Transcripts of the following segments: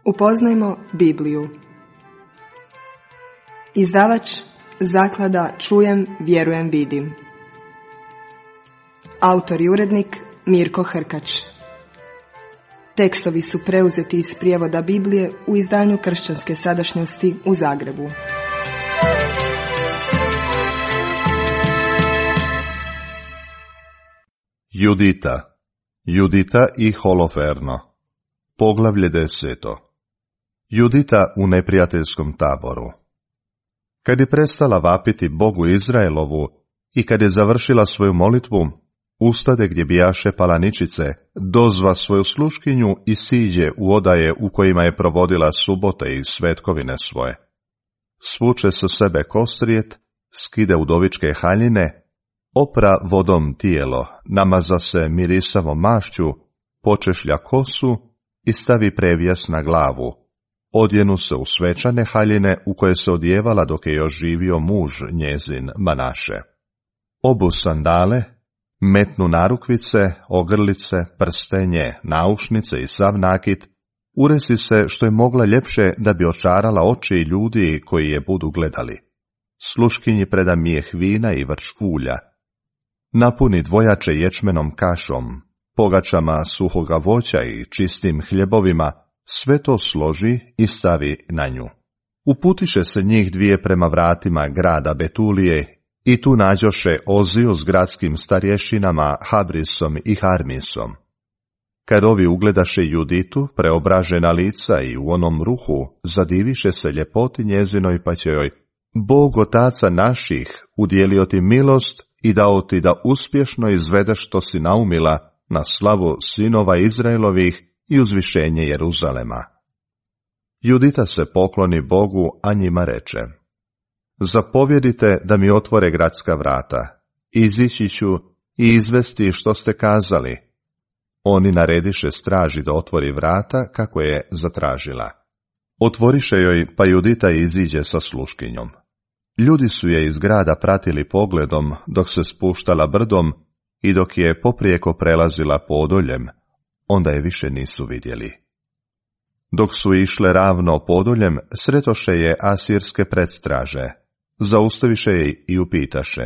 Upoznajmo Bibliju. Izdavač Zaklada Čujem, vjerujem, vidim. Autor i urednik Mirko Hrkač. Tekstovi su preuzeti iz prijevoda Biblije u izdanju Kršćanske sadašnjosti u Zagrebu. Judita i Holoferno. Poglavlje 10. Judita u neprijateljskom taboru. Kad je prestala vapiti Bogu Izraelovu i kad je završila svoju molitvu, ustade gdje bijaše palaničice, dozva svoju sluškinju i siđe u odaje u kojima je provodila subote i svetkovine svoje. Svuče sa sebe kostrijet, skide udovičke haljine, opra vodom tijelo, namaza se mirisavom mašću, počešlja kosu i stavi prevjes na glavu. Odjenu se u svečane haljine u koje se odjevala dok je još živio muž njezin Manaše. Obu sandale, metnu narukvice, ogrlice, prstenje, naušnice i sav nakit, uresi se što je mogla ljepše da bi očarala oči ljudi koji je budu gledali. Sluškinji preda mijeh vina i vrč ulja. Napuni dvojače ječmenom kašom, pogačama suhoga voća i čistim hljebovima, sve to složi i stavi na nju. Uputiše se njih dvije prema vratima grada Betulije i tu nađoše Oziju s gradskim starješinama Habrisom i Harmisom. Kad ovi ugledaše Juditu, preobražena lica i u onom ruhu, zadiviše se ljepoti njezinoj pa će joj: Bog otaca naših udjelio ti milost i dao ti da uspješno izvedeš što si naumila na slavu sinova Izraelovih i uzvišenje Jeruzalema. Judita se pokloni Bogu, a njima reče: Zapovjedite da mi otvore gradska vrata, izići ću i izvesti što ste kazali. Oni narediše straži da otvori vrata kako je zatražila. Otvoriše joj, pa Judita iziđe sa sluškinjom. Ljudi su je iz grada pratili pogledom dok se spuštala brdom i dok je poprijeko prelazila podoljem, onda je više nisu vidjeli. Dok su išle ravno podoljem, sretoše je asirske predstraže, zaustaviše je i upitaše: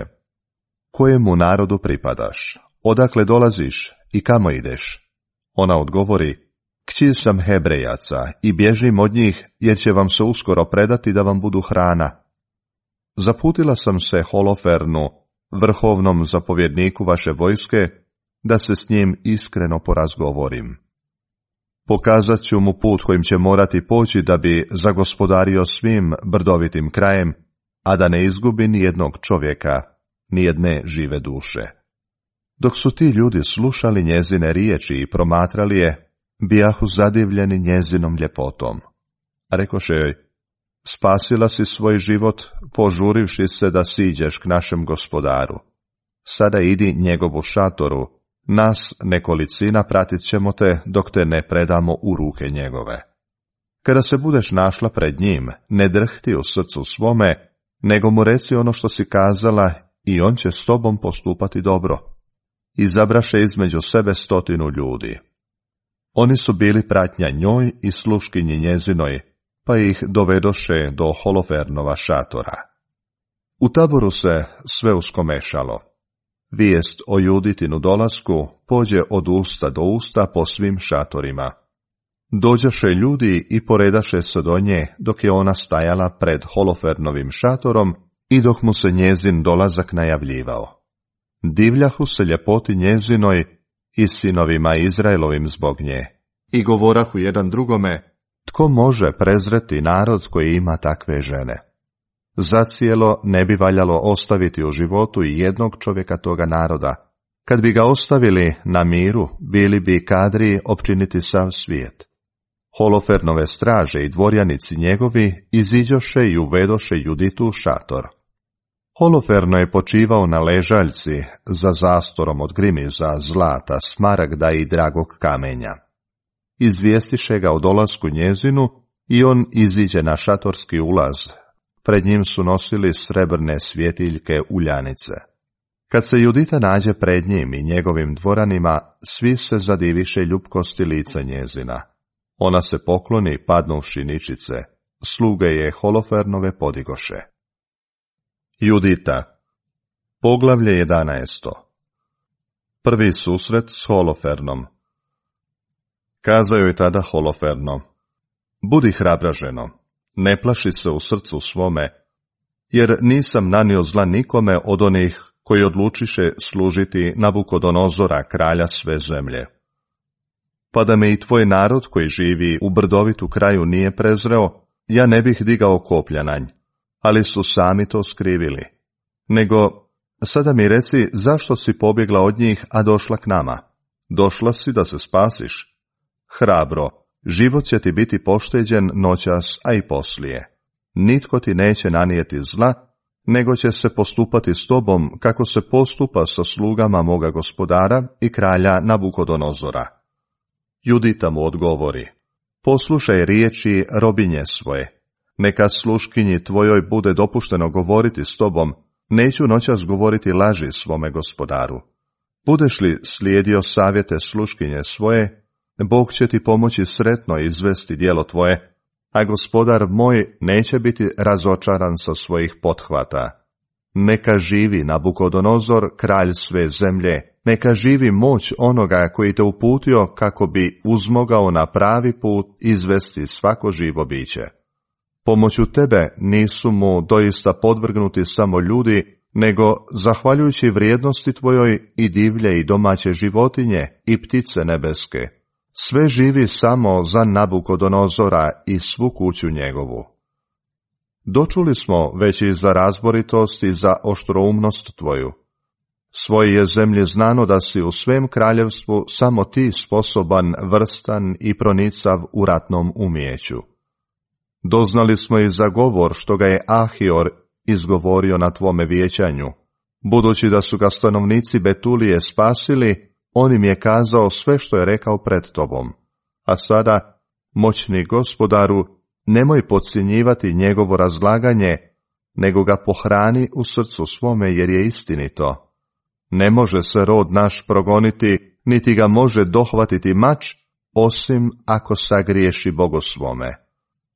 Kojemu narodu pripadaš? Odakle dolaziš i kamo ideš? Ona odgovori: Kći sam Hebrejaca i bježim od njih, jer će vam se uskoro predati da vam budu hrana. Zaputila sam se Holofernu, vrhovnom zapovjedniku vaše vojske, da se s njim iskreno porazgovorim. Pokazat ću mu put kojim će morati poći da bi zagospodario svim brdovitim krajem, a da ne izgubi ni jednog čovjeka, ni jedne žive duše. Dok su ti ljudi slušali njezine riječi i promatrali je, bijahu zadivljeni njezinom ljepotom. Rekoše joj: Spasila si svoj život, požurivši se da siđeš k našem gospodaru. Sada idi njegovu šatoru, nas nekolicina pratit ćemo te dok te ne predamo u ruke njegove. Kada se budeš našla pred njim, ne drhti u srcu svome, nego mu reci ono što si kazala i on će s tobom postupati dobro. Izabraše između sebe 100 ljudi. Oni su bili pratnja njoj i sluškinji njezinoj, pa ih dovedoše do Holofernova šatora. U taboru se sve uskomešalo. Vijest o Juditinu dolasku pođe od usta do usta po svim šatorima. Dođaše ljudi i poredaše se do nje dok je ona stajala pred Holofernovim šatorom i dok mu se njezin dolazak najavljivao. Divljahu se ljepoti njezinoj i sinovima Izraelovim zbog nje i govorahu jedan drugome: Tko može prezreti narod koji ima takve žene? Zacijelo ne bi valjalo ostaviti u životu i jednog čovjeka toga naroda. Kad bi ga ostavili na miru, bili bi kadri opčiniti sav svijet. Holofernove straže i dvorjanici njegovi iziđoše i uvedoše Juditu u šator. Holoferno je počivao na ležaljci za zastorom od grimiza, zlata, smaragda i dragog kamenja. Izvijestiše ga o dolasku njezinu i on iziđe na šatorski ulaz. Pred njim su nosili srebrne svjetiljke uljanice. Kad se Judita nađe pred njim i njegovim dvoranima, svi se zadiviše ljupkosti lica njezina. Ona se pokloni padnuvši ničice, sluge je Holofernove podigoše. Judita, poglavlje 11. Prvi susret s Holofernom. Kazao je tada Holoferno: Budi hrabra, ženo, ne plaši se u srcu svome, jer nisam nanio zla nikome od onih koji odlučiše služiti Nabukodonozora, kralja sve zemlje. Pa da me i tvoj narod koji živi u brdovitu kraju nije prezreo, ja ne bih digao koplja na nj, ali su sami to skrivili. Nego, sada mi reci, zašto si pobjegla od njih, a došla k nama? Došla si da se spasiš? Hrabro, život će ti biti pošteđen noćas, a i poslije. Nitko ti neće nanijeti zla, nego će se postupati s tobom kako se postupa sa slugama moga gospodara i kralja Nabukodonozora. Judita mu odgovori: Poslušaj riječi robinje svoje, neka sluškinji tvojoj bude dopušteno govoriti s tobom, neću noćas govoriti laži svome gospodaru. Budeš li slijedio savjete sluškinje svoje, Bog će ti pomoći sretno izvesti djelo tvoje, a gospodar moj neće biti razočaran sa svojih pothvata. Neka živi Nabukodonozor, kralj sve zemlje, neka živi moć onoga koji te uputio kako bi uzmogao na pravi put izvesti svako živo biće. Pomoću tebe nisu mu doista podvrgnuti samo ljudi, nego, zahvaljujući vrijednosti tvojoj, i divlje i domaće životinje i ptice nebeske. Sve živi samo za Nabukodonozora i svu kuću njegovu. Dočuli smo već i za razboritost i za oštroumnost tvoju. Svoje je zemlje znano da si u svem kraljevstvu samo ti sposoban, vrstan i pronicav u ratnom umijeću. Doznali smo i za govor što ga je Ahior izgovorio na tvome vijećanju. Budući da su ga stanovnici Betulije spasili, on im je kazao sve što je rekao pred tobom. A sada, moćni gospodaru, nemoj podcjenjivati njegovo razlaganje, nego ga pohrani u srcu svome, jer je istinito. Ne može se rod naš progoniti, niti ga može dohvatiti mač, osim ako sagriješi Bogu svome.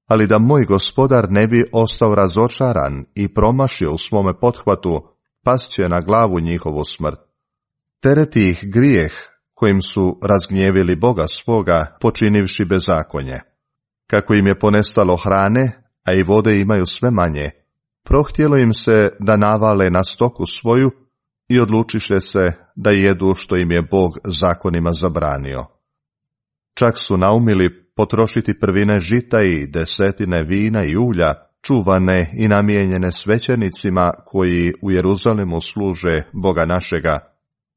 Ali da moj gospodar ne bi ostao razočaran i promašio u svome pothvatu, past će na glavu njihovu smrt. Tereti ih grijeh kojim su razgnjevili Boga svoga, počinivši bezakonje. Kako im je ponestalo hrane, a i vode imaju sve manje, prohtjelo im se da navale na stoku svoju i odlučiše se da jedu što im je Bog zakonima zabranio. Čak su naumili potrošiti prvine žita i desetine vina i ulja, čuvane i namijenjene svećenicima koji u Jeruzalemu služe Boga našega,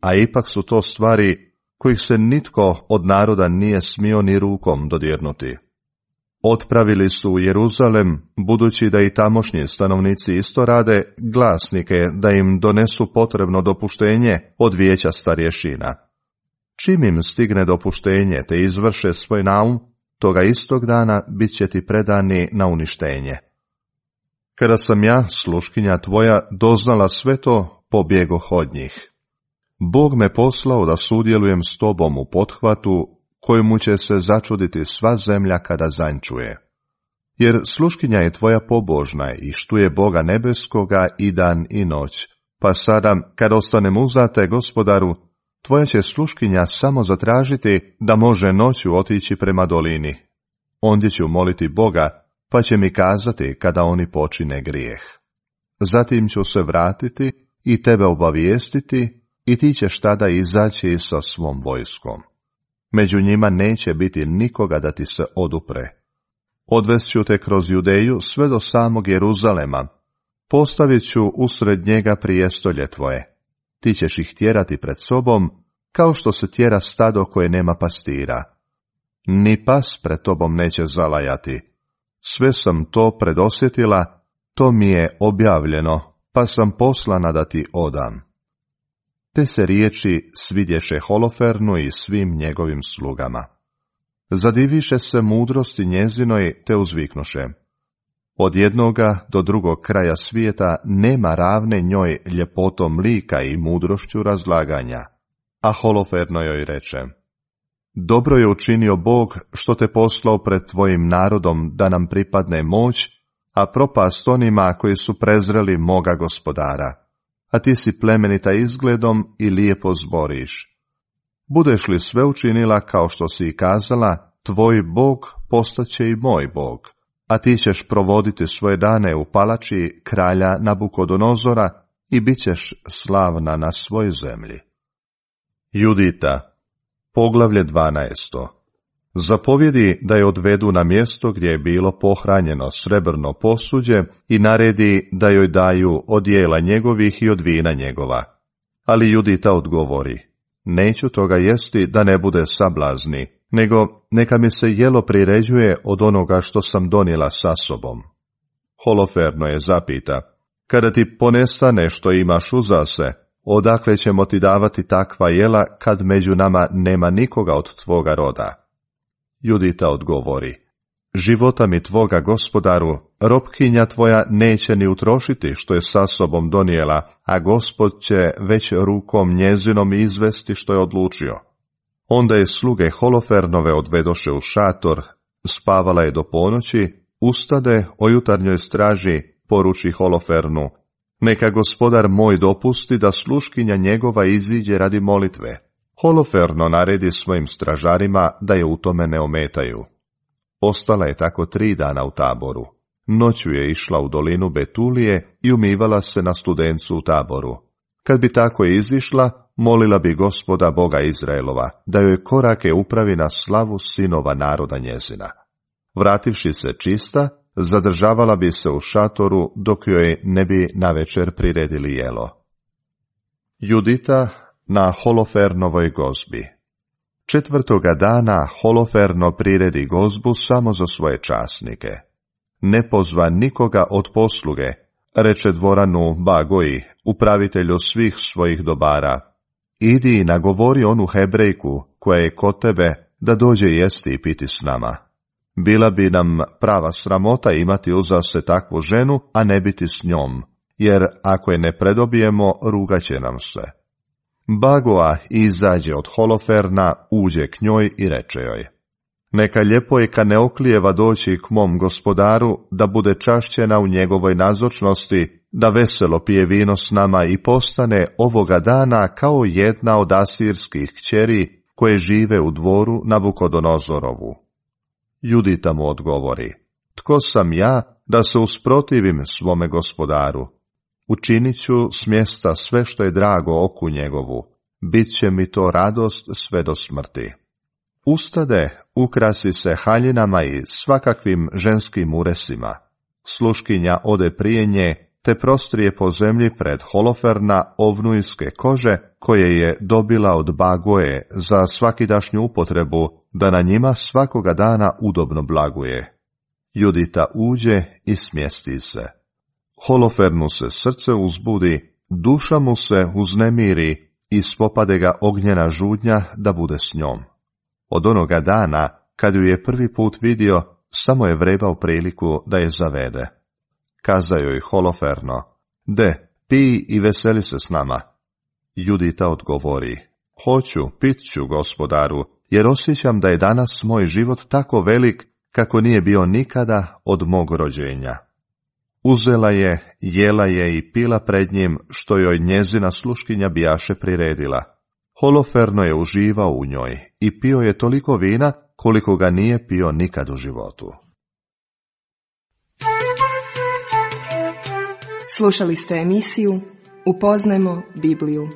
a ipak su to stvari kojih se nitko od naroda nije smio ni rukom dodirnuti. Otpravili su u Jeruzalem, budući da i tamošnji stanovnici isto rade, glasnike da im donesu potrebno dopuštenje od vijeća starješina. Čim im stigne dopuštenje te izvrše svoj naum, toga istog dana bit će ti predani na uništenje. Kada sam ja, sluškinja tvoja, doznala sve to, pobjegoh od njih. Bog me poslao da sudjelujem s tobom u pothvatu, kojemu će se začuditi sva zemlja kada zančuje. Jer sluškinja je tvoja pobožna i štuje Boga nebeskoga i dan i noć, pa sada, kad ostanem uzate, gospodaru, tvoja će sluškinja samo zatražiti da može noću otići prema dolini. Ondje ću moliti Boga, pa će mi kazati kada oni počine grijeh. Zatim ću se vratiti i tebe obavijestiti, i ti ćeš tada izaći sa svom vojskom. Među njima neće biti nikoga da ti se odupre. Odvest ću te kroz Judeju sve do samog Jeruzalema. Postavit ću usred njega prijestolje tvoje. Ti ćeš ih tjerati pred sobom, kao što se tjera stado koje nema pastira. Ni pas pred tobom neće zalajati. Sve sam to predosjetila, to mi je objavljeno, pa sam poslana da ti odam. Te se riječi svidješe Holofernu i svim njegovim slugama. Zadiviše se mudrosti njezinoj, te uzviknuše: Od jednoga do drugog kraja svijeta nema ravne njoj ljepotom lika i mudrošću razlaganja. A Holoferno joj reče: dobro je učinio Bog što te poslao pred tvojim narodom da nam pripadne moć, a propast onima koji su prezreli moga Gospodara. A ti si plemenita izgledom i lijepo zboriš. Budeš li sve učinila kao što si i kazala, tvoj Bog postaće i moj Bog, a ti ćeš provoditi svoje dane u palači kralja Nabukodonozora i bit ćeš slavna na svojoj zemlji. Judita, poglavlje 12. Zapovjedi da je odvedu na mjesto gdje je bilo pohranjeno srebrno posuđe i naredi da joj daju od jela njegovih i od vina njegova. Ali Judita odgovori, neću toga jesti da ne bude sablazni, nego neka mi se jelo priređuje od onoga što sam donijela sa sobom. Holoferno je zapita, kada ti ponestane što imaš uza se, odakle ćemo ti davati takva jela kad među nama nema nikoga od tvoga roda? Judita odgovori, života mi tvoga Gospodaru, robkinja tvoja neće ni utrošiti što je sa sobom donijela, a Gospod će već rukom njezinom izvesti što je odlučio. Onda je sluge Holofernove odvedoše u šator, spavala je do ponoći, ustade o jutarnjoj straži, poruči Holofernu, neka Gospodar moj dopusti da sluškinja njegova iziđe radi molitve. Holoferno naredi svojim stražarima da je u tome ne ometaju. Ostala je tako 3 dana u taboru. Noću je išla u dolinu Betulije i umivala se na studencu u taboru. Kad bi tako izišla, molila bi Gospoda Boga Izraelova, da joj korake upravi na slavu sinova naroda njezina. Vrativši se čista, zadržavala bi se u šatoru dok joj ne bi navečer priredili jelo. Judita na Holofernovoj gozbi. 4. dana Holoferno priredi gozbu samo za svoje časnike. Ne pozva nikoga od posluge, reče dvoranu Bagoji, upravitelju svih svojih dobara. Idi i nagovori onu Hebrejku koja je kod tebe da dođe jesti i piti s nama. Bila bi nam prava sramota imati uza se takvu ženu, a ne biti s njom, jer ako je ne predobijemo, rugaće nam se. Bagoa izađe od Holoferna, uđe k njoj i reče joj, neka ljepojka ne oklijeva doći k mom Gospodaru, da bude čašćena u njegovoj nazočnosti, da veselo pije vino s nama i postane ovoga dana kao jedna od asirskih kćeri koje žive u dvoru Nabukodonozorovu. Judita mu odgovori, tko sam ja da se usprotivim svome Gospodaru? Učinit ću s mjesta sve što je drago oku njegovu, bit će mi to radost sve do smrti. Ustade, ukrasi se haljinama i svakakvim ženskim uresima. Sluškinja ode prije nje, te prostrije po zemlji pred Holoferna ovnujske kože, koje je dobila od Bagoje za svakidašnju upotrebu, da na njima svakoga dana udobno blaguje. Judita uđe i smjesti se. Holofernu se srce uzbudi, duša mu se uznemiri i spopade ga ognjena žudnja da bude s njom. Od onoga dana, kad ju je prvi put vidio, samo je vrebao priliku da je zavede. Kazao joj Holoferno, de, pij i veseli se s nama. Judita odgovori, hoću, pit ću, Gospodaru, jer osjećam da je danas moj život tako velik kako nije bio nikada od mog rođenja. Uzela je, jela je i pila pred njim, što joj njezina sluškinja bijaše priredila. Holoferno je uživao u njoj i pio je toliko vina koliko ga nije pio nikad u životu. Slušali ste emisiju Upoznajmo Bibliju.